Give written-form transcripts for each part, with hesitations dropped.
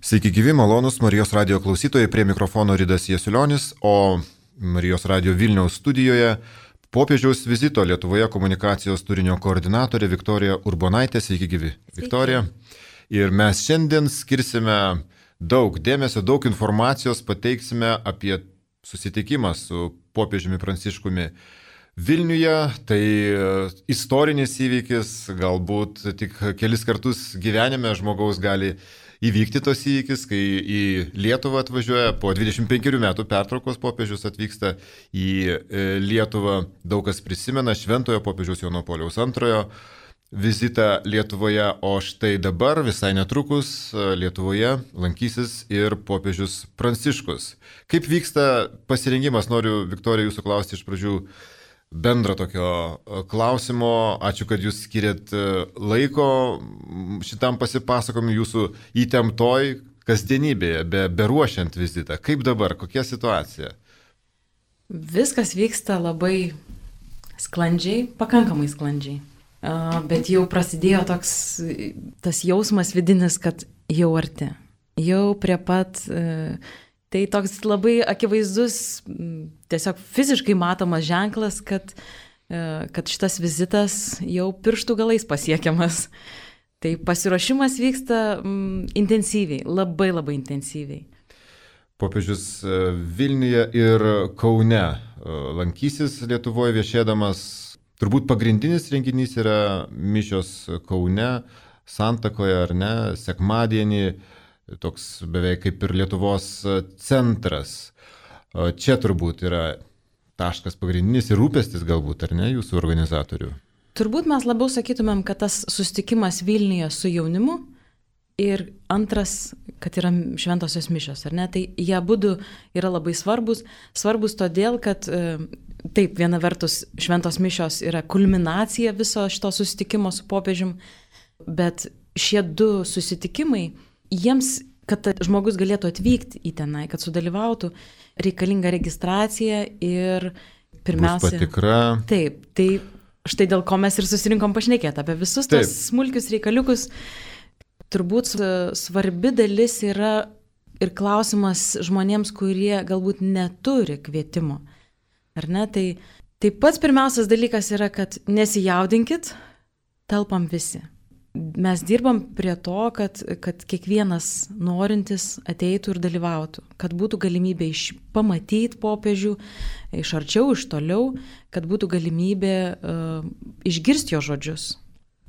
Sveiki gyvi, malonus Marijos radio klausytojai, prie mikrofono Ridas Jasiulionis, o Marijos radio Vilniaus studijoje popiežiaus vizito Lietuvoje komunikacijos turinio koordinatorė Viktorija Urbonaitė. Sveiki gyvi, Viktorija. Ir mes šiandien skirsime daug dėmesio, daug informacijos, pateiksime apie susitikimą su popiežiumi Pranciškumi Vilniuje. Tai istorinis įvykis, galbūt tik kelis kartus gyvenime žmogaus gali įvykti tos įvykis, kai į Lietuvą atvažiuoja, po 25 metų pertraukos popiežius atvyksta į Lietuvą. Daug kas prisimena šventojo popiežiaus Jono Pauliaus II vizitą Lietuvoje, o štai dabar visai netrukus Lietuvoje lankysis ir popiežius Pranciškus. Kaip vyksta pasirengimas? Noriu, Viktorija, jūsų klausti iš pradžių bendro tokio klausimo. Ačiū, kad jūs skiriat laiko šitam pasipasakojimui jūsų įtemptoj kasdienybėje, beruošiant vizitą. Kaip dabar, kokia situacija? Viskas vyksta labai sklandžiai, pakankamai sklandžiai. Bet jau prasidėjo tas jausmas vidinis, kad jau arti. Jau prie pat. Tai toks labai akivaizdus, tiesiog fiziškai matomas ženklas, kad šitas vizitas jau pirštų galais pasiekiamas. Tai pasiruošimas vyksta intensyviai, labai intensyviai. Popiežius Vilniuje ir Kaune lankysis Lietuvoje viešėdamas. Turbūt pagrindinis renginys yra mišios Kaune, Santakoje ar ne, sekmadienį. Toks beveik kaip ir Lietuvos centras. Čia turbūt yra taškas pagrindinis ir rūpestis galbūt, ar ne, jūsų organizatorių? Turbūt mes labiau sakytumėm, kad tas susitikimas Vilniuje su jaunimu ir antras, kad yra šventosios mišios, ar ne? Tai jie abudu yra labai svarbus. Svarbus todėl, kad taip, viena vertus šventos mišios yra kulminacija viso šito susitikimo su popiežium, bet šie du susitikimai, jiems, kad žmogus galėtų atvykti į tenai, kad sudalyvautų, reikalinga registracija ir pirmiausia... Bus patikra. Taip, tai štai dėl ko mes ir susirinkom pašnekėti apie visus tos smulkius reikaliukus. Turbūt svarbi dalis yra ir klausimas žmonėms, kurie galbūt neturi kvietimo. Ar ne? Tai pats pirmiausias dalykas yra, kad nesijaudinkit, telpam visi. Mes dirbam prie to, kad kiekvienas norintis ateitų ir dalyvautų, kad būtų galimybė pamatyti popiežių iš arčiau, iš toliau, kad būtų galimybė išgirsti jo žodžius.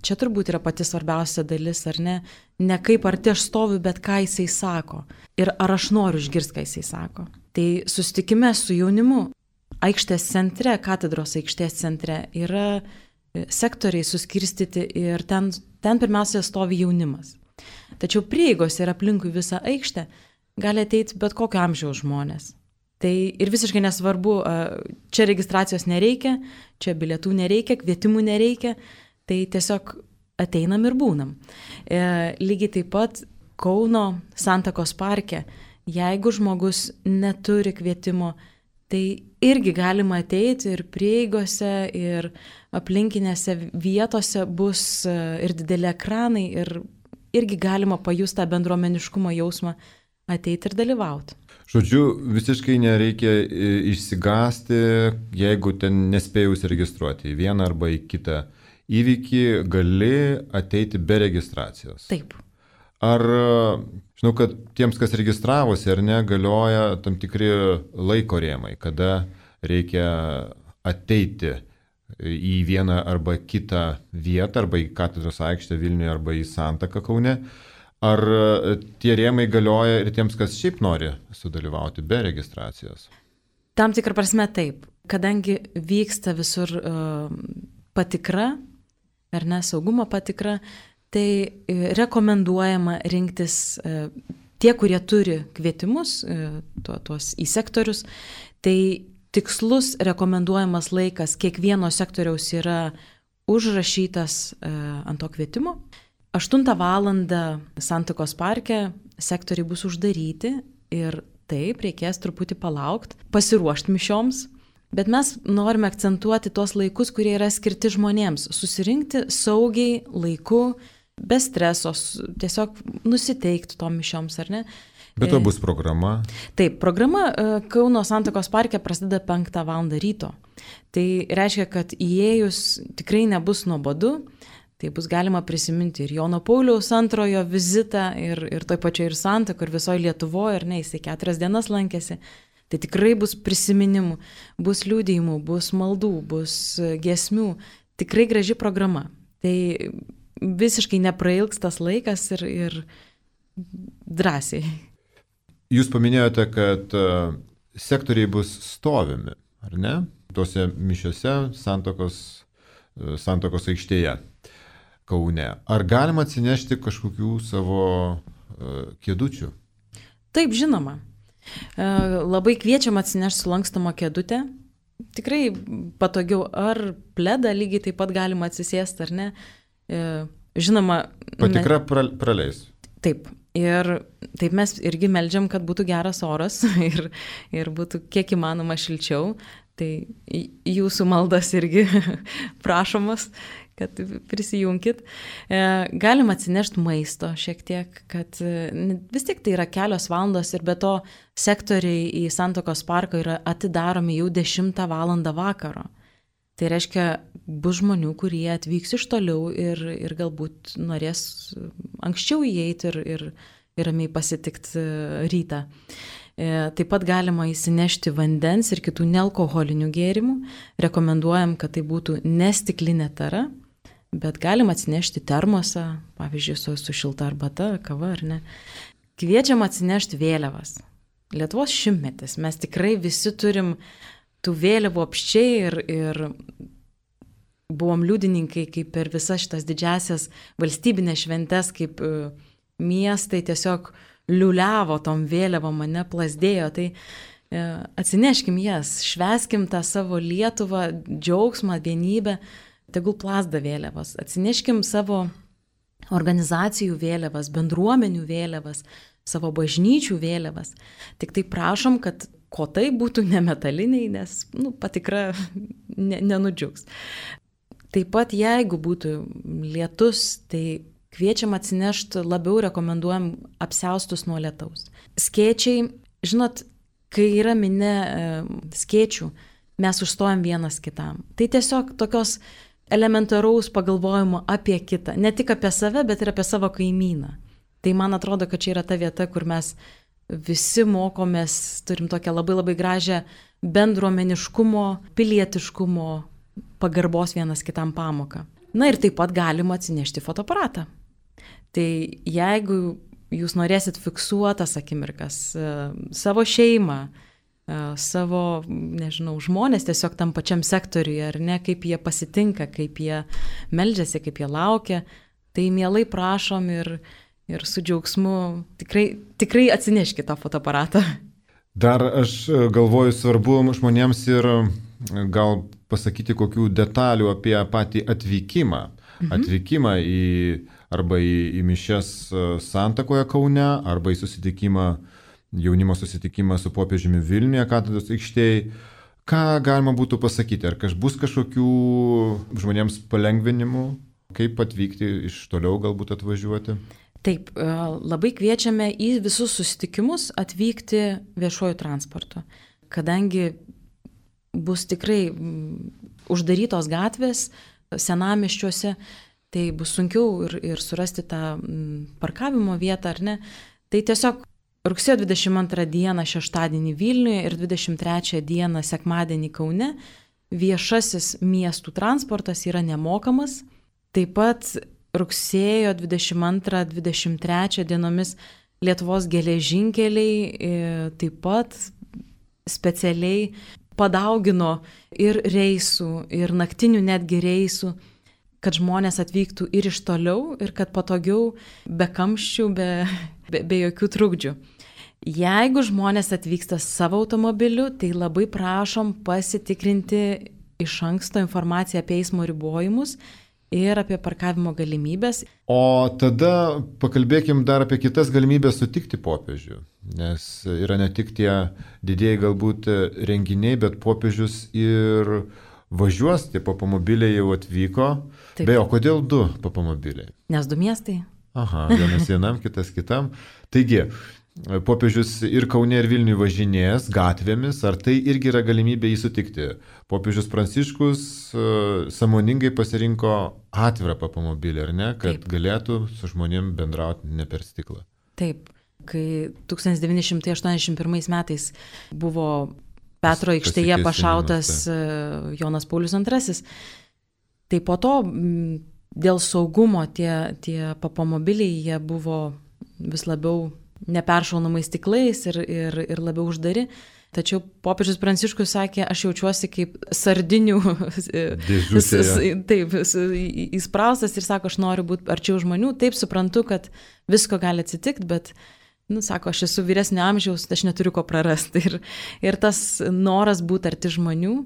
Čia turbūt yra pati svarbiausia dalis, ar ne? Ne kaip arti aš stoviu, bet ką jisai sako. Ir ar aš noriu išgirsti, ką jisai sako. Tai susitikime su jaunimu aikštės centre, katedros aikštės centre yra sektoriai suskirstyti ir ten pirmiausia stovi jaunimas. Tačiau prieigos ir aplinkui visą aikštę gali ateiti bet kokio amžiaus žmonės. Tai ir visiškai nesvarbu, čia registracijos nereikia, čia bilietų nereikia, kvietimų nereikia, tai tiesiog ateinam ir būnam. Lygiai taip pat Kauno Santakos parke, jeigu žmogus neturi kvietimo, tai irgi galima ateiti ir prieigose, ir aplinkinėse vietose bus ir dideli ekranai, ir irgi galima pajusti tą bendruomeniškumo jausmą, ateiti ir dalyvauti. Žodžiu, visiškai nereikia išsigąsti, jeigu ten nespėjai užsiregistruoti į vieną arba į kitą įvykį, gali ateiti be registracijos. Taip. Ar, žinau, kad tiems, kas registravosi, ar ne, galioja tam tikri laiko rėmai, kada reikia ateiti į vieną arba kitą vietą, arba į katedros aikštę Vilniuje, arba į Santaką Kaune. Ar tie rėmai galioja ir tiems, kas šiaip nori sudalyvauti be registracijos? Tam tikrą prasme taip, kadangi vyksta visur patikra, ar ne, saugumo patikra, tai rekomenduojama rinktis tie, kurie turi kvietimus, tuos į sektorius, tai tikslus rekomenduojamas laikas kiekvieno sektoriaus yra užrašytas ant to kvietimo. 8 valandą Santakos parke sektoriai bus uždaryti ir taip reikės truputį palaukti, pasiruošti mišioms. Bet mes norime akcentuoti tuos laikus, kurie yra skirti žmonėms, susirinkti saugiai, laiku, be streso, tiesiog nusiteikti tom mišioms, ar ne? Bet to bus programa? Taip, programa Kauno Santakos parke prasideda 5 val. Ryto. Tai reiškia, kad įėjus tikrai nebus nuobodu, tai bus galima prisiminti ir Jono Pauliaus antrojo vizitą, ir toj pačioj ir Santakoj, ir visoje Lietuvoje, ir ne, jisai 4 dienas lankėsi. Tai tikrai bus prisiminimų, bus liudijimų, bus maldų, bus giesmių. Tikrai graži programa. Tai visiškai neprailgs tas laikas ir drąsiai. Jūs paminėjote, kad sektoriai bus stovimi, ar ne? Tuose mišiuose Santakos aikštėje Kaune. Ar galima atsinešti kažkokių savo kėdučių? Taip, žinoma. Labai kviečiam atsinešti sulankstomą kėdutę. Tikrai patogiau, ar pledą lygiai taip pat galima atsisėsti, ar ne. Žinoma. Patikra praleis. Taip. Ir taip mes irgi meldžiam, kad būtų geras oras ir būtų kiek įmanoma šilčiau. Tai jūsų maldas irgi prašomas, kad prisijunkit. Galim atsinešti maisto šiek tiek, kad vis tiek tai yra kelios valandos ir be to sektoriai į Santakos parką yra atidaromi jau 10 val. Vakaro. Tai reiškia, bus žmonių, kurie atvyks iš toliau ir galbūt norės anksčiau įeiti ir ramiai pasitikti rytą. Taip pat galima įsinešti vandens ir kitų nealkoholinių gėrimų. Rekomenduojam, kad tai būtų ne stiklinė tara, bet galima atsinešti termosą, pavyzdžiui, su šilta arbata, kava ar ne. Kviečiam atsinešti vėliavas. Lietuvos 100-metis. Mes tikrai visi turim tų vėliavų apščiai ir buvom liudininkai, kaip per visas šitas didžiasias valstybinės šventes, kaip miestai tiesiog liuliavo tom vėliavom, mane plasdėjo. Tai atsineškim jas, švęskim tą savo Lietuvą, džiaugsmą, vienybę, tegul plazda vėliavas. Atsineškim savo organizacijų vėliavas, bendruomenių vėliavas, savo bažnyčių vėliavas. Tik tai prašom, kad kotai būtų nemetaliniai, nes patikra nenudžiugs. Taip pat jeigu būtų lietus, tai kviečiam atsinešti, labiau rekomenduojam apsiaustus nuo lietaus. Skėčiai, žinot, kai yra minė skėčių, mes užstojam vienas kitam. Tai tiesiog tokios elementaraus pagalvojimo apie kitą, ne tik apie save, bet ir apie savo kaimyną. Tai man atrodo, kad čia yra ta vieta, kur mes visi mokomės, turim tokią labai labai gražią bendruomeniškumo, pilietiškumo, pagarbos vienas kitam pamoką. Na ir taip pat galima atsinešti fotoaparatą. Tai jeigu jūs norėsit fiksuotas akimirkas, savo šeimą, savo, nežinau, žmonės tiesiog tam pačiam sektoriuje, ar ne, kaip jie pasitinka, kaip jie meldžiasi, kaip jie laukia, tai mielai prašom ir su džiaugsmu tikrai atsineškite tą fotoaparatą. Dar aš galvoju, svarbu žmonėms ir gal pasakyti kokių detalių apie patį atvykimą. Atvykimą arba į mišias Santakoje Kaune, arba į susitikimą, jaunimo susitikimą su popiežiumi Vilniuje, Katedros aikštėje. Ką galima būtų pasakyti? Ar bus kažkokių žmonėms palengvinimų? Kaip atvykti iš toliau galbūt atvažiuoti? Taip, labai kviečiame į visus susitikimus atvykti viešuoju transportu, kadangi bus tikrai uždarytos gatvės senamiesčiuose, tai bus sunkiau ir surasti tą parkavimo vietą, ar ne. Tai tiesiog rugsėjo 22 dieną šeštadienį Vilniuje ir 23 dieną sekmadienį Kaune viešasis miestų transportas yra nemokamas. Taip pat rugsėjo 22-23 dienomis Lietuvos geležinkeliai taip pat specialiai padaugino ir reisų, ir naktinių netgi reisų, kad žmonės atvyktų ir iš toliau, ir kad patogiau, be kamščių, be jokių trukdžių. Jeigu žmonės atvyksta savo automobiliu, tai labai prašom pasitikrinti iš anksto informaciją apie eismo ribojimus ir apie parkavimo galimybės. O tada pakalbėkim dar apie kitas galimybės sutikti popiežių, nes yra ne tik tie didieji galbūt renginiai, bet popiežius ir važiuos, tie automobiliai jau atvyko. Taip. Beje, o kodėl 2 papamobiliai? Nes 2 miestai. Aha, vienas vienam, kitas kitam. Taigi, popiežius ir Kaune, ir Vilniuje važinės gatvėmis, ar tai irgi yra galimybė jį sutikti? Popiežius Pranciškus sąmoningai pasirinko atvirą papamobilį, ar ne, kad Taip. Galėtų su žmonėm bendrauti ne per stiklą. Taip, kai 1981 metais buvo Petro aikštėje pašautas Jonas Paulius II, tai po to dėl saugumo tie papamobiliai jie buvo vis labiau neperšaunamais stiklais ir labiau uždari. Tačiau popiežius Pranciškus sakė, aš jaučiuosi kaip sardinių taip, įspraustas ir sako, aš noriu būti arčiau žmonių. Taip, suprantu, kad visko gali atsitikti, bet, sako, aš esu vyresnio amžiaus, aš neturiu ko prarasti. Ir tas noras būti arti žmonių,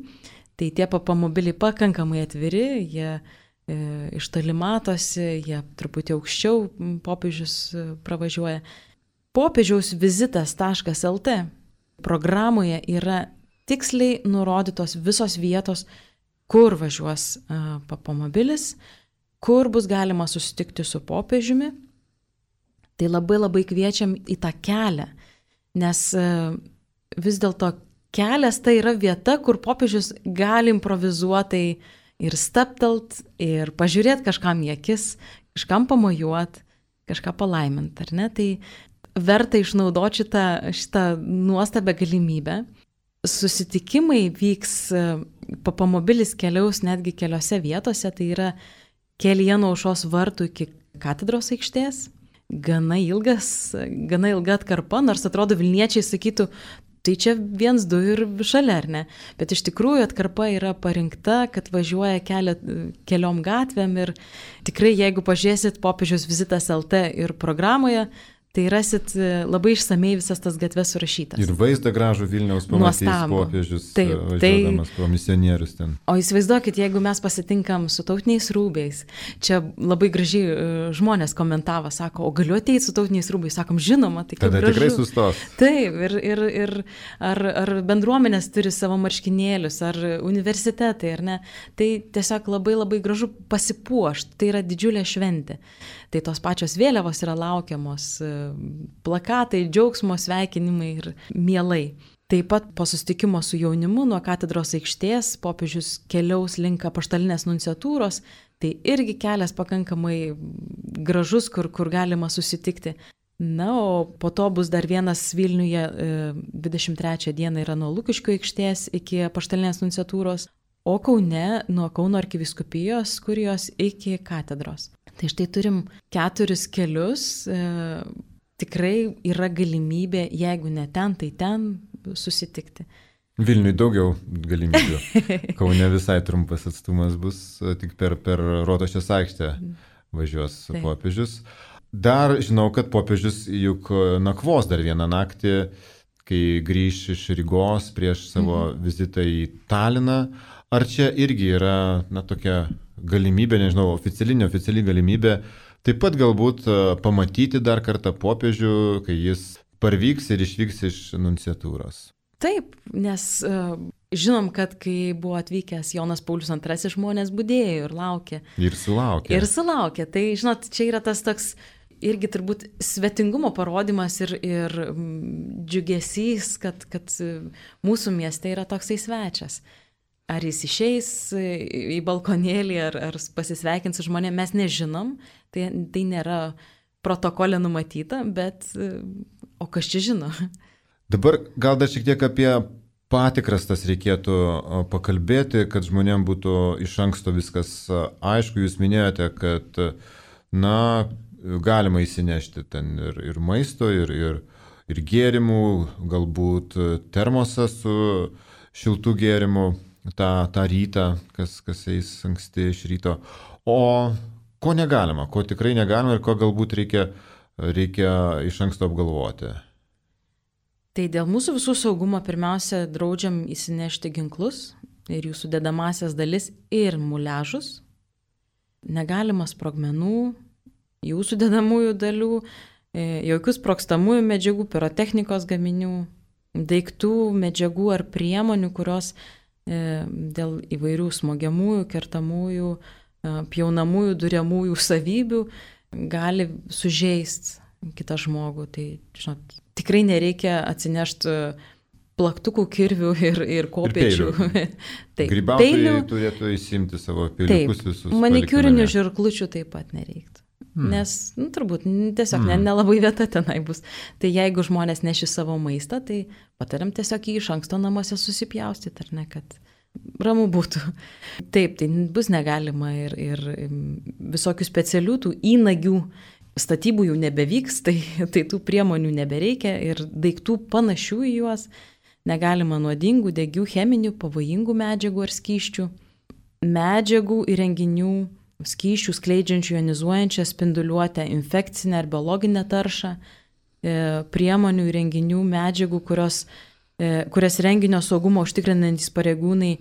tai tie papamobiliai pakankamai atviri, jie iš toli matosi, jie truputį aukščiau popiežius pravažiuoja. Popiežiaus vizitas.lt programoje yra tiksliai nurodytos visos vietos, kur važiuos papamobilis, kur bus galima susitikti su popiežiumi. Tai labai labai kviečiam į tą kelią, nes vis dėlto kelias tai yra vieta, kur popiežius gali improvizuotai ir staptelt, ir pažiūrėti kažkam į akis, kažkam pamojuot, kažką palaimint, ar ne? Tai verta išnaudoti šitą nuostabę galimybę. Susitikimai vyks, papamobilis keliaus netgi keliose vietose, tai yra kelyje nuo Aušros vartų iki katedros aikštės. Gana ilga atkarpa, nors atrodo Vilniečiai sakytų, tai čia 1, 2 ir šalia, ar ne? Bet iš tikrųjų atkarpa yra parinkta, kad važiuoja keliom gatvėm ir tikrai jeigu pažiūrėsit popiežiaus vizitas LT ir programoje, tai rasit labai išsamei visas tas gatves surašytas. Ir vaizdą gražų Vilniaus pamatys popiežius važiuodamas pro misionierius ten. O įsivaizduokit, jeigu mes pasitinkam su tautiniais rūbais, čia labai gražiai žmonės komentavo, sako, o galiu ateiti su tautiniais rūbais, sakom, žinoma, tai kaip gražu. Tada tikrai sustos. Taip, ir ar bendruomenės turi savo marškinėlius, ar universitetai, ar ne, tai tiesiog labai labai gražu pasipuošti, tai yra didžiulė šventė. Tai tos pačios vėliavos yra laukiamos, plakatai, džiaugsmo, sveikinimai ir mielai. Taip pat po susitikimo su jaunimu nuo katedros aikštės popiežius keliaus link apaštalinės nunciatūros, tai irgi kelias pakankamai gražus, kur galima susitikti. Na, o po to bus dar vienas Vilniuje 23 dieną yra nuo Lukiškių aikštės iki apaštalinės nunciatūros, o Kaune nuo Kauno arkivyskupijos kurijos iki katedros. Tai štai turim 4 kelius, tikrai yra galimybė, jeigu ne ten, tai ten susitikti. Vilniui daugiau galimybių. Kaune visai trumpas atstumas bus, tik per Rotušės aikštę važiuos popiežius. Dar žinau, kad popiežius juk nakvos dar vieną naktį, kai grįš iš Rygos prieš savo vizitą į Taliną. Ar čia irgi yra tokia galimybė, nežinau, oficiali galimybė, taip pat galbūt pamatyti dar kartą popiežių, kai jis parvyks ir išvyks iš nunciatūros? Taip, nes žinom, kad kai buvo atvykęs Jonas Paulius II, žmonės budėjo ir laukė. Ir sulaukė. Tai, žinot, čia yra tas toks irgi turbūt svetingumo parodimas ir džiugesys, kad mūsų mieste yra toksai svečias. Ar jis išeis į balkonėlį, ar pasisveikins su žmonėmis, mes nežinom, tai nėra protokolė numatyta, bet o kas čia žino? Dabar gal dar šiek tiek apie patikras tas reikėtų pakalbėti, kad žmonėms būtų iš anksto viskas aišku. Jūs minėjote, kad galima įsinešti ten ir maisto, ir gėrimų, galbūt termosą su šiltų gėrimų. tą rytą, kas eis anksti iš ryto. O ko negalima, ko tikrai negalima ir ko galbūt reikia iš anksto apgalvoti? Tai dėl mūsų visų saugumo pirmiausia draudžiam įsinešti ginklus ir jų sudedamasias dalis ir muliažus. Negalima sprogmenų, jų sudedamųjų dalių, jokių sprogstamųjų medžiagų, pirotechnikos gaminių, daiktų, medžiagų ar priemonių, kurios dėl įvairių smogiamųjų, kertamųjų pjaunamųjų, duriamųjų savybių gali sužeisti kitą žmogų. Tai, žinot, tikrai nereikia atsinešti plaktukų, kirvių ir kopėčių. Grybautojai turėtų įsimti savo peiliukus visus. Manikiūrinių žirklučių taip pat nereiktų. Nes, turbūt, tiesiog nelabai vieta tenai bus. Tai jeigu žmonės neši savo maistą, tai patariam tiesiog jį iš anksto namuose susipjaustyti, ar ne, kad ramu būtų. Taip, tai bus negalima ir visokių specialių tų įnagių statybų jau nebevyks, tai tų priemonių nebereikia ir daiktų panašių į juos negalima nuodingų, degių, cheminių, pavojingų medžiagų ar skysčių, medžiagų, įrenginių, skysčių skleidžiančių jonizuojančią spinduliuotę, infekcinę ar biologinę taršą, priemonių, įrenginių, medžiagų, kurias renginio saugumo užtikrinantys pareigūnai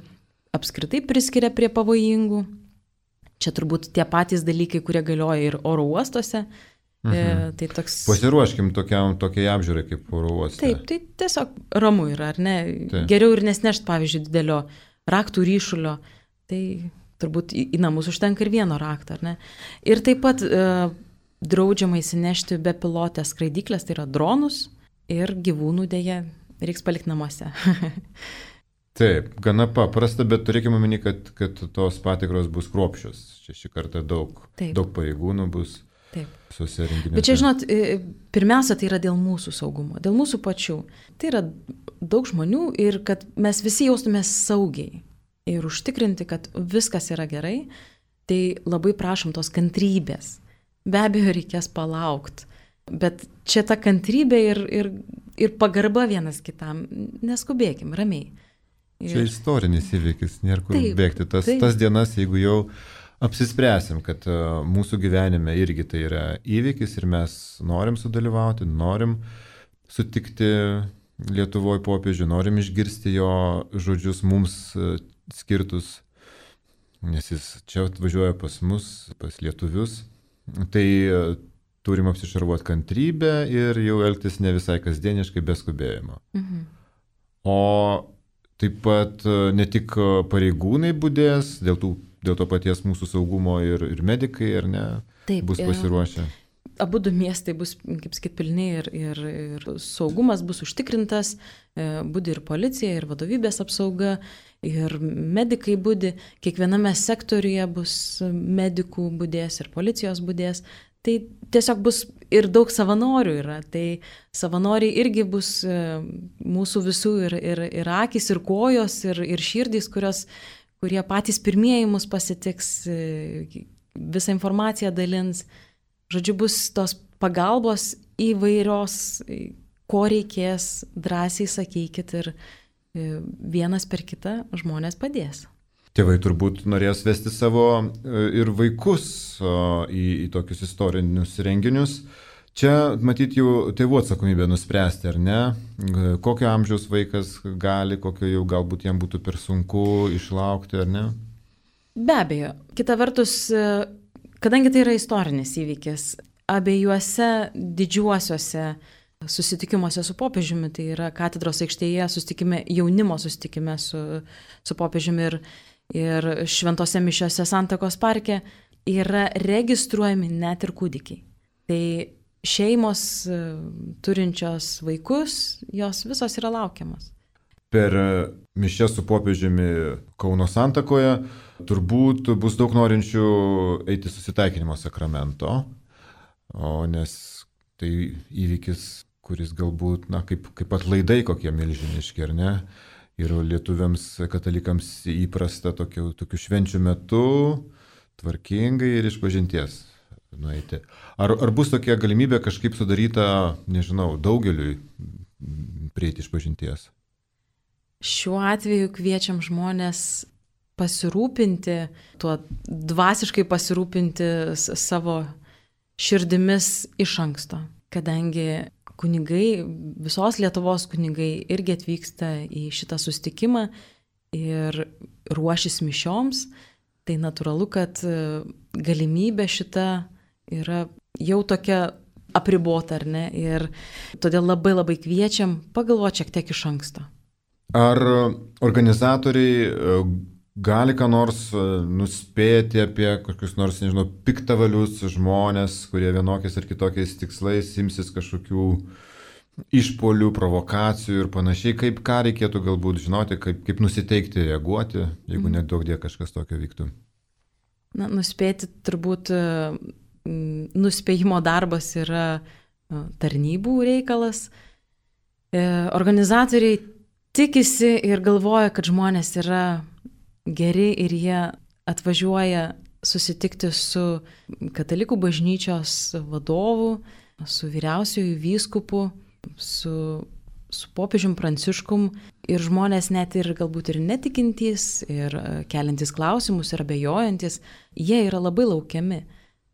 apskritai priskiria prie pavojingų. Čia turbūt tie patys dalykai, kurie galioja ir oro uostuose. Tai toks... Pasiruoškim tokiai apžiūrai kaip oro uoste. Taip, tai tiesiog ramu yra, ar ne? Taip. Geriau ir nesnešti, pavyzdžiui, didelio raktų ryšulio. Tai turbūt į namus užtenka ir vieno rakto, ar ne? Ir taip pat draudžiama įsinešti bepilotės skraidyklės, tai yra dronus ir gyvūnų dėja reiks palikti namuose. Taip, gana paprasta, bet turėkime omeny, kad tos patikros bus kruopščios. Šį kartą daug pareigūnų bus visose renginiuose. Bet čia, žinot, pirmiausia, tai yra dėl mūsų saugumo, dėl mūsų pačių. Tai yra daug žmonių ir kad mes visi jaustumės saugiai ir užtikrinti, kad viskas yra gerai, tai labai prašom tos kantrybės. Be abejo, reikės palaukti. Bet čia ta kantrybė ir pagarba vienas kitam. Neskubėkim, ramiai. Čia istorinis įvykis, nėra kur bėgti. Tas dienas, jeigu jau apsispręsim, kad mūsų gyvenime irgi tai yra įvykis ir mes norim sudalyvauti, norim sutikti Lietuvoje popiežių, norim išgirsti jo žodžius mums skirtus, nes jis čia atvažiuoja pas mus, pas lietuvius, tai turim apsišarvuoti kantrybę ir jau elgtis ne visai kasdieniškai, be skubėjimo. O taip pat ne tik pareigūnai budės, dėl to paties mūsų saugumo ir medikai, ar ne, bus pasiruošę. Abu du miestai bus, kaip sakyt, pilni ir saugumas bus užtikrintas, budi ir policija, ir vadovybės apsauga, ir medikai budi, kiekviename sektoriuje bus medikų budės ir policijos budės. Tai tiesiog bus ir daug savanorių yra, tai savanoriai irgi bus mūsų visų ir akys, ir kojos, ir širdys, kurie patys pirmieji mus pasitiks, visą informaciją dalins. Žodžiu, bus tos pagalbos įvairios, ko reikės, drąsiai sakykit ir vienas per kitą žmonės padės. Tėvai turbūt norės vesti savo ir vaikus į tokius istorinius renginius. Čia, matyt, jau tėvų atsakomybė nuspręsti, ar ne? Kokio amžiaus vaikas gali, kokio jau galbūt jam būtų per sunku išlaukti, ar ne? Be abejo. Kita vertus, kadangi tai yra istorinis įvykis, abiejuose didžiuosiuose susitikimuose su popiežiumi, tai yra katedros aikštėje susitikime, jaunimo susitikime su popiežiumi ir šventose mišiose Santakos parke, yra registruojami net ir kūdikiai. Tai šeimos turinčios vaikus, jos visos yra laukiamos. Per mišias su popiežiumi Kauno Santakoje turbūt bus daug norinčių eiti susitaikinimo sakramento, nes tai įvykis, kuris galbūt, kaip atlaidai kokie milžiniški, ar ne? Ir lietuviams, katalikams įprasta tokių švenčių metu tvarkingai ir išpažinties nueiti. Ar bus tokia galimybė kažkaip sudaryta, nežinau, daugeliui prieiti išpažinties? Šiuo atveju kviečiam žmonės pasirūpinti, tuo dvasiškai pasirūpinti savo širdimis iš anksto, kadangi kunigai, visos Lietuvos kunigai irgi atvyksta į šitą susitikimą ir ruošis mišioms, tai natūralu, kad galimybė šita yra jau tokia apribota, ar ne, ir todėl labai labai kviečiam pagalvoti šiek tiek iš anksto. Ar organizatoriai gali ką nors nuspėti apie kokius nors, nežinau, piktavalius žmonės, kurie vienokiais ar kitokiais tikslais imsis kažkokių išpolių, provokacijų ir panašiai, ką reikėtų galbūt žinoti, kaip nusiteikti, reaguoti, jeigu nedaug dėl kažkas tokio vyktų? Na, nuspėti turbūt nuspėjimo darbas yra tarnybų reikalas. Organizatoriai tikisi ir galvoja, kad žmonės yra geri ir jie atvažiuoja susitikti su katalikų bažnyčios vadovu, su vyriausiuoju vyskupu, su popiežium Pranciškum ir žmonės net ir galbūt ir netikintys, ir keliantys klausimus, ir abejojantis, jie yra labai laukiami.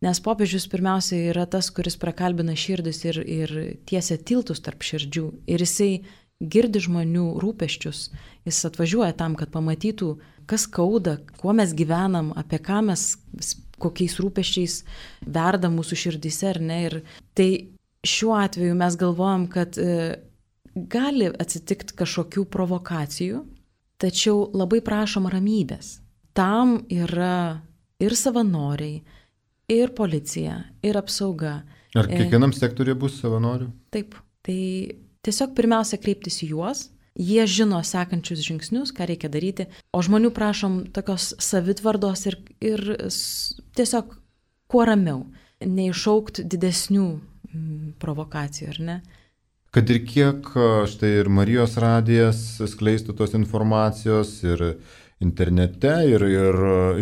Nes popiežius pirmiausia yra tas, kuris prakalbina širdis ir tiesia tiltus tarp širdžių. Ir jisai girdi žmonių rūpesčius. Jis atvažiuoja tam, kad pamatytų, kas skauda, kuo mes gyvenam, apie ką mes, kokiais rūpesčiais verda mūsų širdyse, ar ne. Ir tai šiuo atveju mes galvojam, kad gali atsitikti kažkokių provokacijų, tačiau labai prašom ramybės. Tam yra ir savanoriai, ir policija, ir apsauga. Ar kiekvienam sektoriuje bus savanorių? Taip. Tai tiesiog pirmiausia kreiptis į juos. Jie žino sekančius žingsnius, ką reikia daryti. O žmonių prašom tokios savitvardos ir tiesiog kuo ramiau. Neiššaukti didesnių provokacijų, ar ne? Kad ir kiek štai ir Marijos radijas skleistų tos informacijos ir internete, ir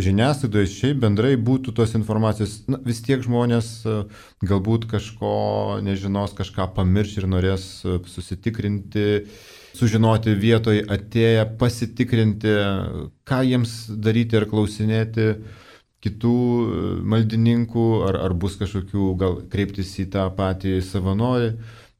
žiniasklaidoje šiaip bendrai būtų tos informacijos, vis tiek žmonės galbūt kažko nežinos, kažką pamirš ir norės susitikrinti, sužinoti vietoje atėję, pasitikrinti, ką jiems daryti ir klausinėti kitų maldininkų, ar bus kažkokių, gal kreiptis į tą patį savanorį,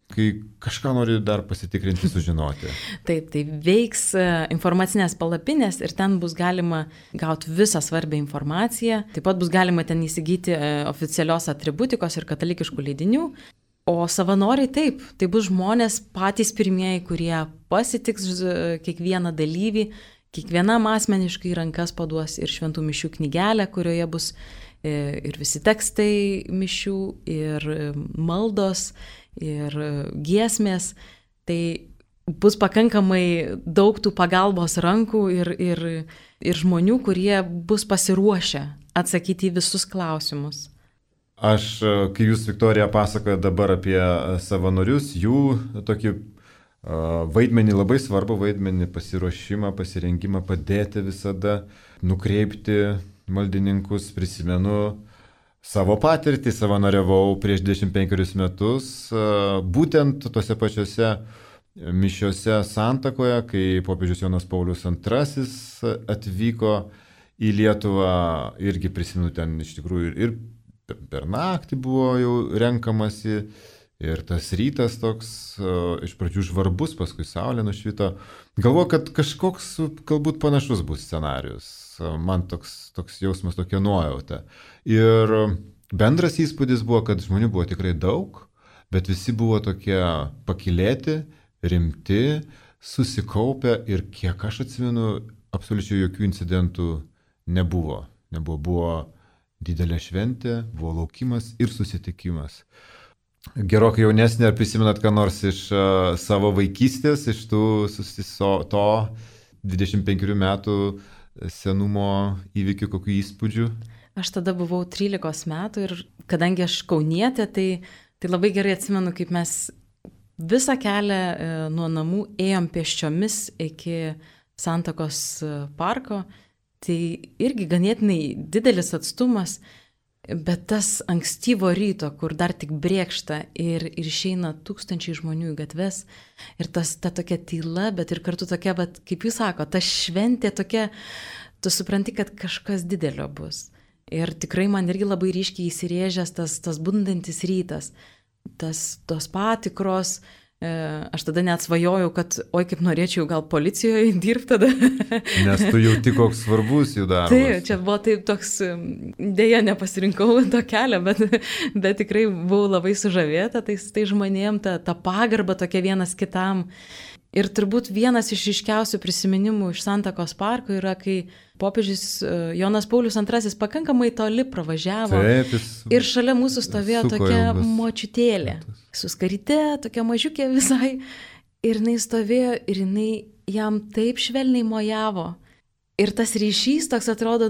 kai kažką nori dar pasitikrinti, sužinoti. Taip, tai veiks informacinės palapinės ir ten bus galima gauti visą svarbią informaciją. Taip pat bus galima ten įsigyti oficialios atributikos ir katalikiškų leidinių. O savanoriai taip, tai bus žmonės patys pirmieji, kurie pasitiks kiekvieną dalyvį, kiekvienam asmeniškai rankas paduos ir šventų mišių knygelę, kurioje bus ir visi tekstai mišių, ir maldos, ir giesmės. Tai bus pakankamai daug tų pagalbos rankų ir žmonių, kurie bus pasiruošę atsakyti į visus klausimus. Aš, kai jūs, Viktorija, pasakoja dabar apie savanorius, jų tokį vaidmenį, labai svarbu vaidmenį, pasiruošimą, pasirengimą, padėti visada, nukreipti maldininkus. Prisimenu savo patirtį, savanoriavau prieš 25 metus, būtent tose pačiose mišiose Santakoje, kai popiežius Jonas Paulius II atvyko į Lietuvą, irgi prisimenu ten iš tikrųjų ir per naktį buvo jau renkamasi. Ir tas rytas toks, iš pradžių žvarbus, paskui saulė nušvito. Galvoju, kad kažkoks galbūt panašus bus scenarius. Man toks jausmas, tokia nuojauta. Ir bendras įspūdis buvo, kad žmonių buvo tikrai daug, bet visi buvo tokie pakylėti, rimti, susikaupę ir kiek aš atsimenu, absoliučiai jokių incidentų nebuvo. Buvo didelė šventė, buvo laukimas ir susitikimas. Gerokai jaunesnė, ar prisimenat ką nors iš savo vaikystės, iš to 25 metų senumo įvykių, kokių įspūdžių? Aš tada buvau 13 metų ir kadangi aš kaunietė, tai labai gerai atsimenu, kaip mes visą kelią nuo namų ėjom pėsčiomis iki Santakos parko. Tai irgi ganėtinai didelis atstumas. Bet tas ankstyvo ryto, kur dar tik brėkšta ir išeina tūkstančiai žmonių į gatves ir ta tokia tyla, bet ir kartu tokia, bet, kaip jūs sako, ta šventė tokia, tu supranti, kad kažkas didelio bus. Ir tikrai man irgi labai ryškiai įsirėžęs tas bundantis rytas, tos patikros. Aš tada net svajojau, kad oi kaip norėčiau gal policijoje dirbti tada. Nes tu jauti, koks svarbus jų darbas. Taip, čia buvo taip toks, dėja nepasirinkau to kelio, bet tikrai buvau labai sužavėta, tai žmonėm ta pagarba tokia vienas kitam. Ir turbūt vienas iš ryškiausių prisiminimų iš Santakos parko yra, kai popiežius Jonas Paulius II pakankamai toli pravažiavo. Taip, ir šalia mūsų stovėjo tokia močiutėlė, su skaryte, tokia mažiukė visai. Ir jinai stovėjo ir jinai jam taip švelniai mojavo. Ir tas ryšys toks atrodo,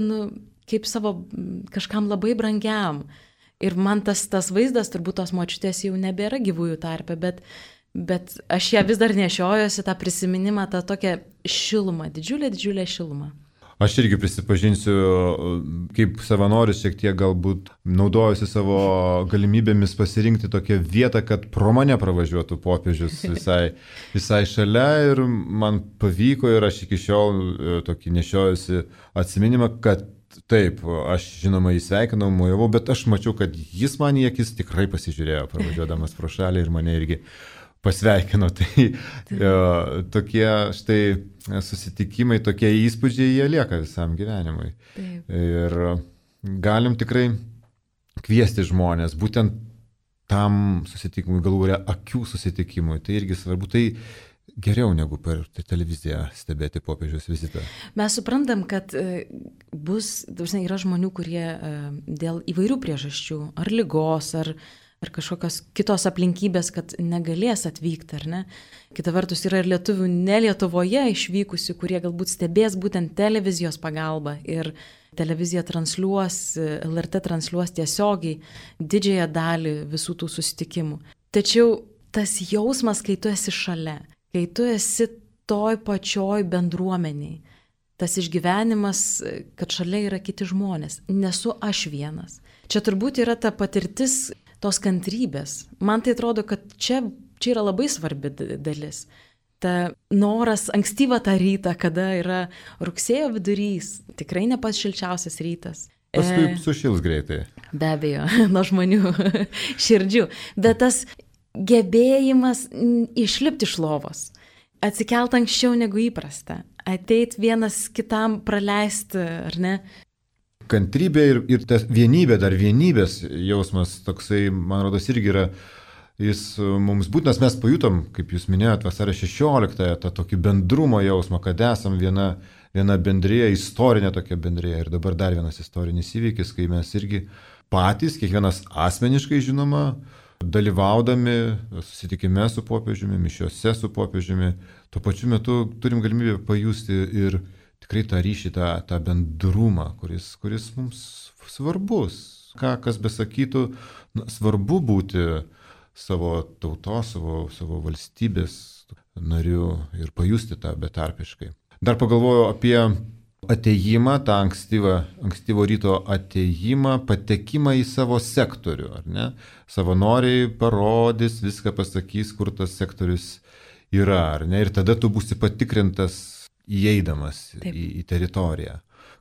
kaip savo kažkam labai brangiam. Ir man tas vaizdas, turbūt tos močiutės jau nebėra gyvųjų tarpe, bet aš ją vis dar nešiojuosi, tą prisiminimą, tą tokią šilumą, didžiulę šilumą. Aš irgi prisipažinsiu, kaip savanoris šiek tiek galbūt naudojusi savo galimybėmis pasirinkti tokią vietą, kad pro mane pravažiuotų popiežius visai šalia ir man pavyko ir aš iki šiol tokį nešiojusi atsiminimą, kad taip, aš žinoma įsveikinau, mojavau, bet aš mačiau, kad jis man į akis tikrai pasižiūrėjo pravažiuodamas pro šalį ir mane irgi pasveikino. Tai tokie štai susitikimai, tokie įspūdžiai, jie lieka visam gyvenimui. Taip. Ir galim tikrai kviesti žmonės, būtent tam susitikimui, galų gale akių susitikimui. Tai irgi svarbu, tai geriau negu per televiziją stebėti popiežiaus vizitą. Mes suprantam, kad yra žmonių, kurie dėl įvairių priežasčių, ar ligos, ar kažkokios kitos aplinkybės, kad negalės atvykti, ar ne. Kita vertus yra ir lietuvių ne Lietuvoje išvykusių, kurie galbūt stebės būtent televizijos pagalba ir televizija transliuos, LRT transliuos tiesiogiai didžiąją dalį visų tų susitikimų. Tačiau tas jausmas, kai tu esi šalia, kai tu esi toj pačioj bendruomeniai, tas išgyvenimas, kad šalia yra kiti žmonės, nesu aš vienas. Čia turbūt yra ta patirtis tos kantrybės. Man tai atrodo, kad čia yra labai svarbi dalis. Ta noras ankstyvą tą rytą, kada yra rugsėjo vidurys, tikrai ne pats šilčiausias rytas. Paskui sušils greitai. Be abejo, nuo žmonių širdžių. Bet tas gebėjimas išlipti iš lovos, atsikelt anksčiau negu įprasta, ateit vienas kitam praleisti, ar ne? Kantrybė ir tas vienybės jausmas toksai, man rodos, irgi yra, jis mums būtinas, mes pajutom, kaip jūs minėjot, vasario 16-ąją, tą tokį bendrumo jausmą, kad esam viena bendrija, istorinė tokia bendrija. Ir dabar dar vienas istorinis įvykis, kai mes irgi patys, kiekvienas asmeniškai žinoma, dalyvaudami susitikime su popiežiumi, mišiose su popiežiumi, tuo pačiu metu turim galimybę pajusti ir tikrai tą ryšį, tą bendrumą, kuris mums svarbus. Kas besakytų, svarbu būti savo tautos, savo valstybės nariu ir pajusti tą betarpiškai. Dar pagalvojau apie atėjimą, tą ankstyvo ryto atėjimą, patekimą į savo sektorių, ar ne? Savanoriai parodys, viską pasakys, kur tas sektorius yra, ar ne? Ir tada tu būsi patikrintas įeidamas į teritoriją.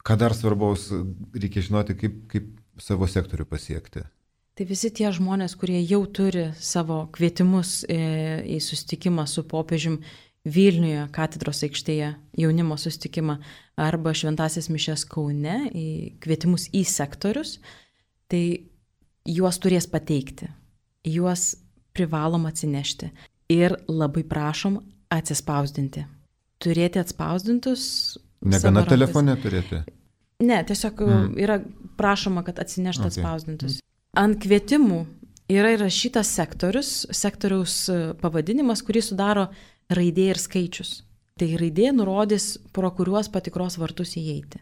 Ką dar svarbaus reikia žinoti, kaip savo sektorių pasiekti? Tai visi tie žmonės, kurie jau turi savo kvietimus į susitikimą su popiežium Vilniuje, katedros aikštėje, jaunimo susitikimą, arba šventąsias mišias Kaune, kvietimus į sektorius, tai juos turės pateikti, juos privalom atsinešti ir labai prašom atsispausdinti. Turėti atspausdintus. Negana telefone turėti? Ne, tiesiog yra prašoma, kad atsineštų atspausdintus. Ant kvietimų yra įrašytas sektoriaus pavadinimas, kurį sudaro raidė ir skaičius. Tai raidė nurodys, pro kuriuos patikros vartus įeiti.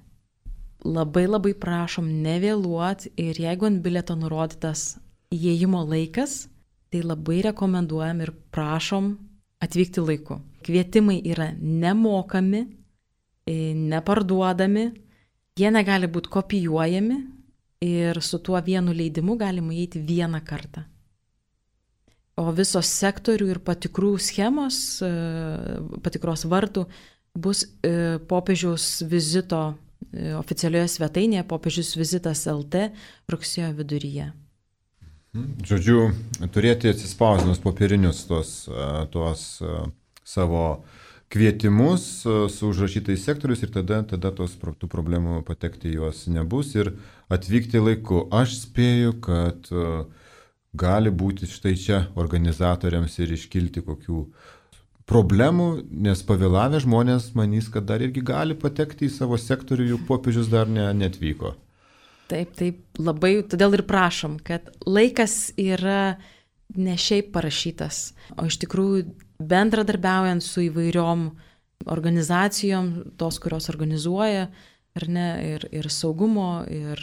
Labai prašom nevėluoti ir jeigu ant bilieto nurodytas įėjimo laikas, tai labai rekomenduojam ir prašom atvykti laiku. Kvietimai yra nemokami, neparduodami, jie negali būti kopijuojami ir su tuo vienu leidimu galima įeiti vieną kartą. O visos sektorių ir patikrų schemos, patikros vartų bus popiežiaus vizito oficialioje svetainėje popiežius vizitas LT rugsėjo viduryje. Žodžiu, turėti atsispausdinus popierinius tuos savo kvietimus su užrašytais sektorius ir tada tų problemų patekti juos nebus ir atvykti laiku. Aš spėju, kad gali būti štai čia organizatoriams ir iškilti kokių problemų, nes pavėlavę žmonės manys, kad dar irgi gali patekti į savo sektorių, juk popiežius dar netvyko. Taip, labai, todėl ir prašom, kad laikas yra ne šiaip parašytas, o iš tikrųjų bendradarbiaujant su įvairiom organizacijom, tos, kurios organizuoja, ar ne, ir saugumo, ir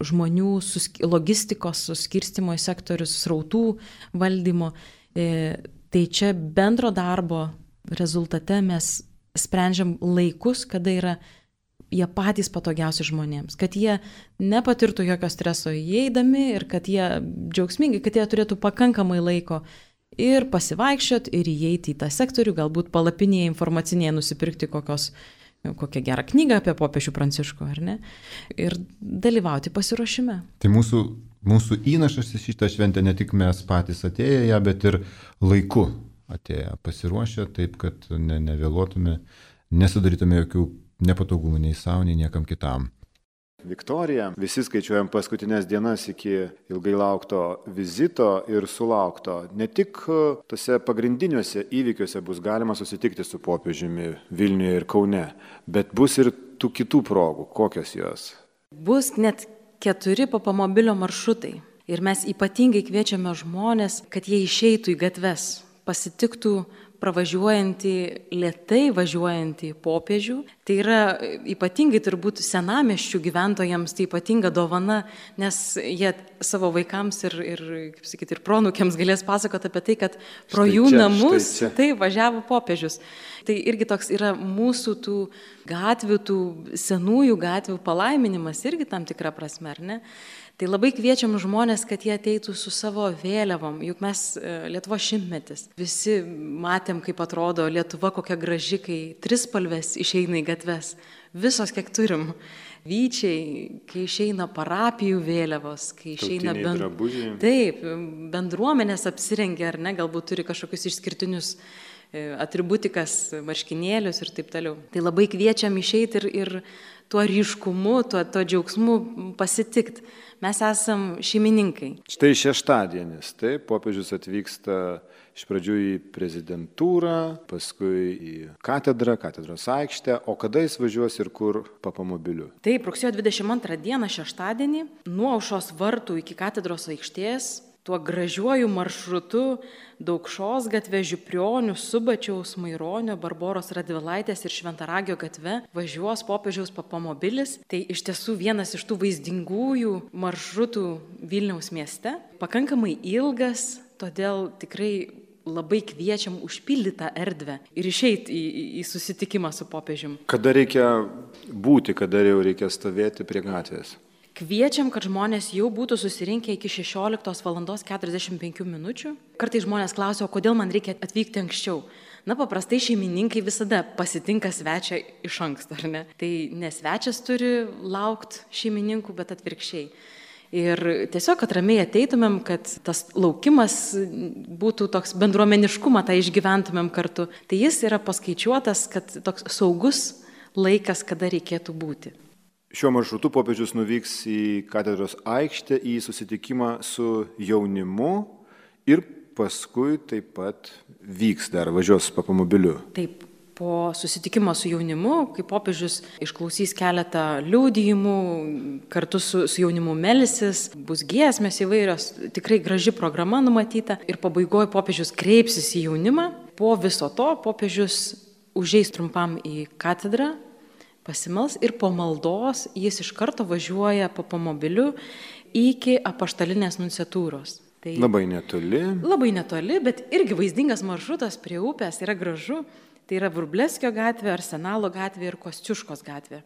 žmonių logistikos suskirstimo į sektorius, srautų valdymo. Tai čia bendro darbo rezultate mes sprendžiam laikus, kada yra jie patys patogiausi žmonėms, kad jie nepatirtų jokio streso įeidami ir kad jie džiaugsmingai, kad jie turėtų pakankamai laiko ir pasivaikščiot, ir įeiti į tą sektorių, galbūt palapinėje informacinėje nusipirkti kokią gerą knygą apie popiežių Pranciškų, ar ne, ir dalyvauti pasiruošime. Tai mūsų įnašas į šitą šventę ne tik mes patys atėję ją, bet ir laiku atėję pasiruošę, taip kad nevėluotume, nesudarytume jokių nepatogumų nei savo, nei niekam kitam. Viktorija, visi skaičiuojam paskutinės dienas iki ilgai laukto vizito ir sulaukto. Ne tik tose pagrindiniuose įvykiuose bus galima susitikti su popiežiumi Vilniuje ir Kaune, bet bus ir tų kitų progų. Kokios jos? Bus net 4 papamobilio maršrutai. Ir mes ypatingai kviečiame žmonės, kad jie išeitų į gatves, pasitiktų pravažiuojantį, lėtai važiuojantį popiežių. Tai yra ypatingai turbūt senamiesčių gyventojams, tai ypatinga dovana, nes jie savo vaikams ir kaip sakyti, ir proanūkiams galės pasakoti apie tai, kad pro jų namus tai važiavo popiežius. Tai irgi toks yra mūsų tų gatvių, tų senųjų gatvių palaiminimas irgi tam tikra prasme, ar ne? Tai labai kviečiam žmonės, kad jie ateitų su savo vėliavom, juk mes Lietuva 100-metis. Visi matėm, kaip atrodo Lietuva kokia graži, kai trispalvės išeina į gatves. Visos, kiek turim. Vyčiai, kai išeina parapijų vėliavos, kai išeina bendruomenės apsirengia, ar ne, galbūt turi kažkokius išskirtinius atributikas, marškinėlius ir taip toliau. Tai labai kviečiam išeiti ir tuo ryškumu, tuo džiaugsmu pasitikti. Mes esam šeimininkai. Štai šeštadienis, taip, popiežius atvyksta iš pradžių į prezidentūrą, paskui į katedros aikštę, o kada jis važiuos ir kur papamobiliu? Taip, rugsėjo 22 dieną šeštadienį, nuo aušros vartų iki katedros aikštės, tuo gražiuoju maršrutu Daukšos gatve, Žiprionių, Subačiaus, Maironio, Barboros Radvilaitės ir Šventaragio gatve važiuos popiežiaus papamobilis. Tai iš tiesų vienas iš tų vaizdingųjų maršrutų Vilniaus mieste. Pakankamai ilgas, todėl tikrai labai kviečiam užpildyti tą erdvę ir išeiti į susitikimą su popiežium. Kada reikia būti, kada jau reikia stovėti prie gatvės? Kviečiam, kad žmonės jau būtų susirinkę iki 16:45 min. Kartais žmonės klausia, o kodėl man reikia atvykti anksčiau? Na, paprastai šeimininkai visada pasitinka svečią iš anksto, ar ne? Tai ne svečias turi laukti šeimininkų, bet atvirkščiai. Ir tiesiog, kad ramiai ateitumėm, kad tas laukimas būtų toks bendruomeniškumą, tą išgyventumėm kartu. Tai jis yra paskaičiuotas, kad toks saugus laikas, kada reikėtų būti. Šiuo maršrutu popiežius nuvyks į katedros aikštę, į susitikimą su jaunimu ir paskui taip pat vyks dar, važiuos papamobiliu. Taip, po susitikimo su jaunimu, kai popiežius išklausys keletą liudijimų, kartu su jaunimu melsis, bus giesmės įvairios, tikrai graži programa numatyta ir pabaigoje popiežius kreipsis į jaunimą. Po viso to popiežius užeis trumpam į katedrą, pasimels ir po maldos jis iš karto važiuoja papamobiliu iki apaštalinės nunciatūros. Tai labai netoli. Labai netoli, bet irgi vaizdingas maršrutas prie upės, yra gražu. Tai yra Vrublevskio gatvė, Arsenalo gatvė ir Kosciuškos gatvė.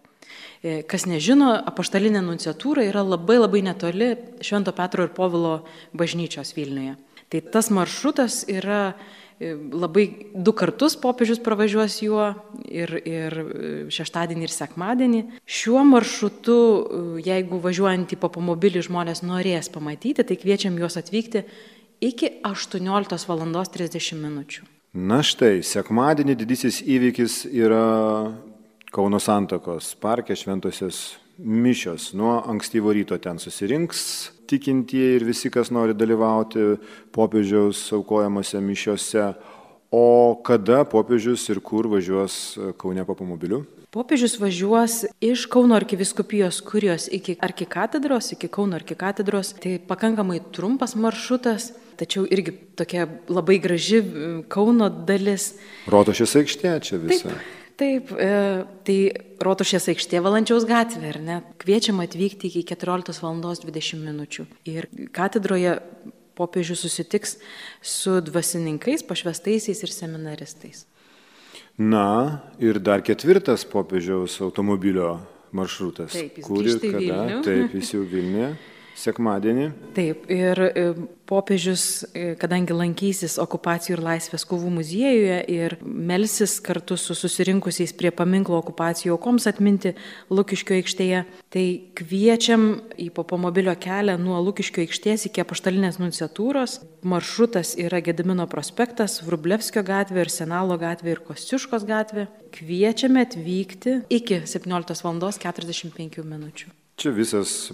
Kas nežino, apaštalinė nunciatūra yra labai netoli Švento Petro ir Povilo bažnyčios Vilniuje. Tai tas maršrutas yra labai 2 kartus popiežius pravažiuos juo ir šeštadienį ir sekmadienį. Šiuo maršrutu, jeigu važiuojant į papamobilį žmonės norės pamatyti, tai kviečiam juos atvykti iki 18:30 min. Na štai, sekmadienį didysis įvykis yra Kauno Santakos parke šventosios mišios. Nuo ankstyvo ryto ten susirinks tikintieji ir visi, kas nori dalyvauti popiežiaus aukojamose mišiose. O kada popiežius ir kur važiuos Kaune papamobiliu? Popiežius važiuos iš Kauno arkivyskupijos kurijos iki arkikatedros, iki Kauno arkikatedros. Tai pakankamai trumpas maršrutas, tačiau irgi tokia labai graži Kauno dalis. Rotušės aikštė čia visa. Taip, tai Rotušės aikštė Valančiaus gatvė, ar ne? Kviečiam atvykti iki 14:20 min. Ir katedroje popiežius susitiks su dvasininkais, pašvestaisiais ir seminaristais. Na, ir dar 4 popiežiaus automobilio maršrutas. Taip, jis Kur ir grįžta į kada? Vilnių. Taip, jis jau Vilniuje, sekmadienį. Taip, ir popiežius, kadangi lankysis Okupacijų ir laisvės kovų muziejuje ir melsis kartu su susirinkusiais prie paminklo okupacijų aukoms atminti Lukiškių aikštėje, tai kviečiam į papamobilio kelią nuo Lukiškių aikštės iki Apaštalinės nunciatūros. Maršrutas yra Gedimino prospektas, Vrublevskio gatvė, Arsenalo gatvė ir Kosciuškos gatvė. Kviečiame atvykti iki 17:45 min. Čia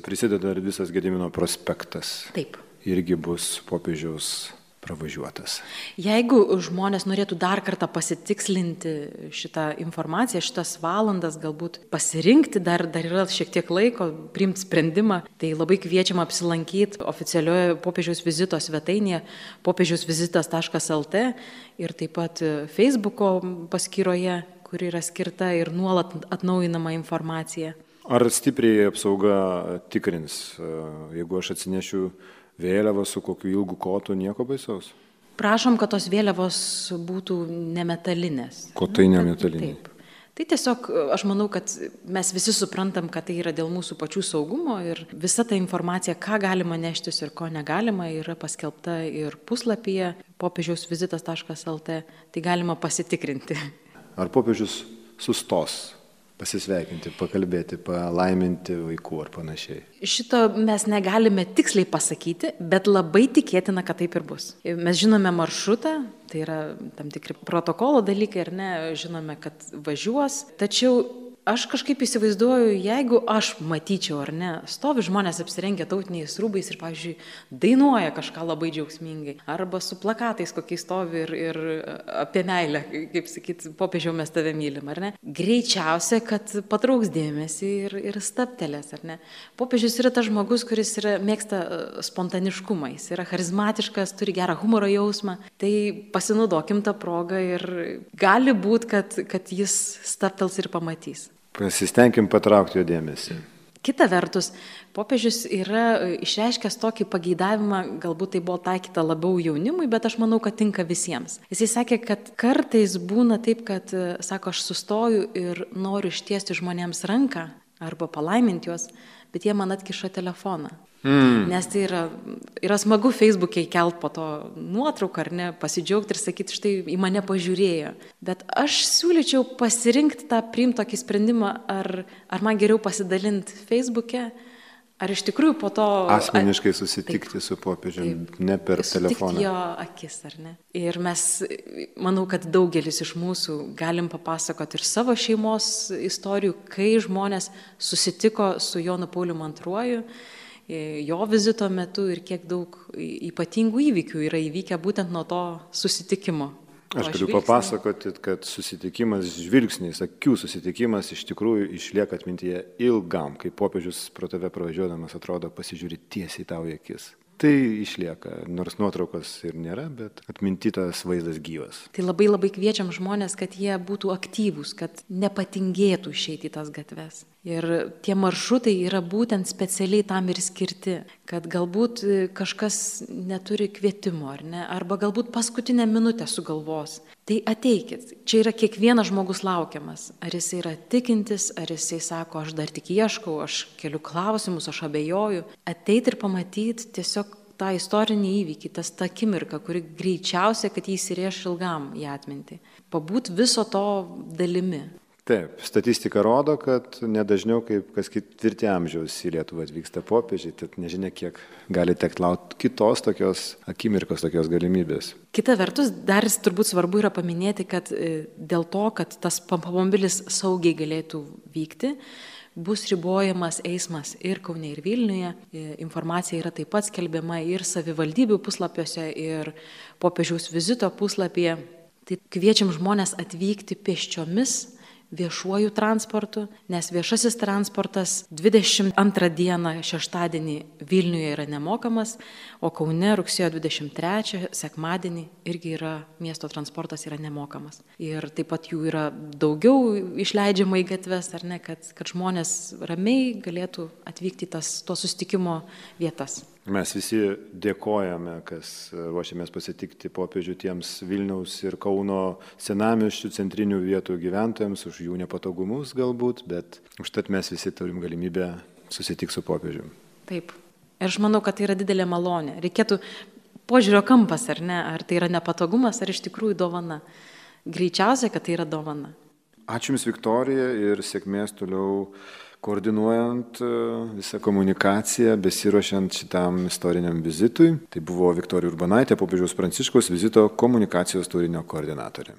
prisideda ir visas Gedimino prospektas. Taip. Irgi bus popiežiaus pravažiuotas. Jeigu žmonės norėtų dar kartą pasitikslinti šitą informaciją, šitas valandas, galbūt pasirinkti, dar yra šiek tiek laiko priimti sprendimą, tai labai kviečiam apsilankyti oficialioje popiežiaus vizito svetainėje popiežiausvizitas.lt ir taip pat Facebooko paskyroje, kuri yra skirta ir nuolat atnaujinama informacija. Ar stipriai apsauga tikrins, jeigu aš atsinešiu vėliavą su kokiu ilgu kotu, nieko baisaus? Prašom, kad tos vėliavos būtų nemetalinės. Kotai nemetaliniai? Taip. Tai tiesiog aš manau, kad mes visi suprantam, kad tai yra dėl mūsų pačių saugumo ir visa ta informacija, ką galima neštis ir ko negalima, yra paskelbta ir puslapyje popiežiausvizitas.lt, tai galima pasitikrinti. Ar popiežius sustos pasisveikinti, pakalbėti, palaiminti vaikų ar panašiai? Šito mes negalime tiksliai pasakyti, bet labai tikėtina, kad taip ir bus. Mes žinome maršrutą, tai yra tam tikri protokolo dalykai, ar ne, žinome, kad važiuos, tačiau aš kažkaip įsivaizduoju, jeigu aš matyčiau, ar ne, stovi žmonės apsirengę tautiniais rūbais ir, pavyzdžiui, dainuoja kažką labai džiaugsmingai, arba su plakatais kokiais stovi ir apie meilę, kaip sakyti, popiežiau mes tave mylim, ar ne, greičiausia, kad patrauks dėmesį ir staptelės, ar ne. Popiežius yra tas žmogus, kuris mėgsta spontaniškumą, jis yra charizmatiškas, turi gerą humoro jausmą, tai pasinaudokim tą progą ir gali būti, kad jis staptels ir pamatys. Pasistengim patraukti jo dėmesį. Kita vertus, popiežius yra išreiškęs tokį pageidavimą, galbūt tai buvo taikyta labiau jaunimui, bet aš manau, kad tinka visiems. Jisai sakė, kad kartais būna taip, kad, sako, aš sustoju ir noriu ištiesti žmonėms ranką arba palaiminti juos, bet jie man atkiša telefoną. Nes tai yra smagu Facebook'e įkelt po to nuotrauką, ar ne, pasidžiaugti ir sakyti, štai į mane pažiūrėjo. Bet aš siūlyčiau pasirinkti priimti tokį sprendimą, ar man geriau pasidalinti Facebook'e, ar iš tikrųjų po to asmeniškai susitikti su popiežiumi, ne per telefoną. Sutikti jo akis, ar ne. Ir mes, manau, kad daugelis iš mūsų galim papasakoti ir savo šeimos istorijų, kai žmonės susitiko su Jonu Pauliumi II, jo vizito metu ir kiek daug ypatingų įvykių yra įvykę būtent nuo to susitikimo. Aš galiu papasakoti, kad susitikimas, žvilgsnis, akių susitikimas iš tikrųjų išlieka atmintyje ilgam, kai popiežius pro tave pravažiuodamas atrodo pasižiūri tiesiai tau į akis. Tai išlieka, nors nuotraukos ir nėra, bet atmintytas vaizdas gyvas. Tai labai labai kviečiam žmonės, kad jie būtų aktyvūs, kad nepatingėtų išeiti į tas gatves. Ir tie maršrutai yra būtent specialiai tam ir skirti, kad galbūt kažkas neturi kvietimo, ar ne, arba galbūt paskutinę minutę sugalvos. Tai ateikit, čia yra kiekvienas žmogus laukiamas. Ar jisai yra tikintis, ar jisai sako, aš dar tik ieškau, aš keliu klausimus, aš abejoju. Ateit ir pamatyti tiesiog tą istorinį įvykį, tą akimirką, kuri greičiausia, kad jį įsirėš ilgam į atmintį. Pabūt viso to dalimi. Taip, statistika rodo, kad nedažniau kaip kas 4 amžiaus į Lietuvą atvyksta popiežiai, tad nežinia, kiek gali tekti laukti kitos tokios akimirkos, tokios galimybės. Kita vertus, dar turbūt svarbu yra paminėti, kad dėl to, kad tas papamobilis saugiai galėtų vykti, bus ribojamas eismas ir Kaune, ir Vilniuje. Informacija yra taip pat skelbiama ir savivaldybių puslapiuose, ir popiežiaus vizito puslapyje. Tai kviečiam žmonės atvykti pėsčiomis, viešuoju transportu, nes viešasis transportas 22 dieną šeštadienį Vilniuje yra nemokamas, o Kaune rugsėjo 23 sekmadienį irgi yra miesto transportas yra nemokamas. Ir taip pat jų yra daugiau išleidžiama į gatves, ar ne, kad žmonės ramiai galėtų atvykti į to susitikimo vietas. Mes visi dėkojame, kas ruošiamės pasitikti popiežių tiems Vilniaus ir Kauno senamiesčių centrinių vietų gyventojams, už jų nepatogumus galbūt, bet užtat mes visi turim galimybę susitikti su popiežiumi. Taip. Ir aš manau, kad tai yra didelė malonė. Reikėtų požiūrio kampas, ar ne? Ar tai yra nepatogumas, ar iš tikrųjų dovana. Greičiausiai, kad tai yra dovana. Ačiū Jums, Viktorija, ir sėkmės toliau koordinuojant visą komunikaciją, besiruošiant šitam istoriniam vizitui. Tai buvo Viktorija Urbonaitė, popiežiaus Pranciškaus vizito komunikacijos turinio koordinatorė.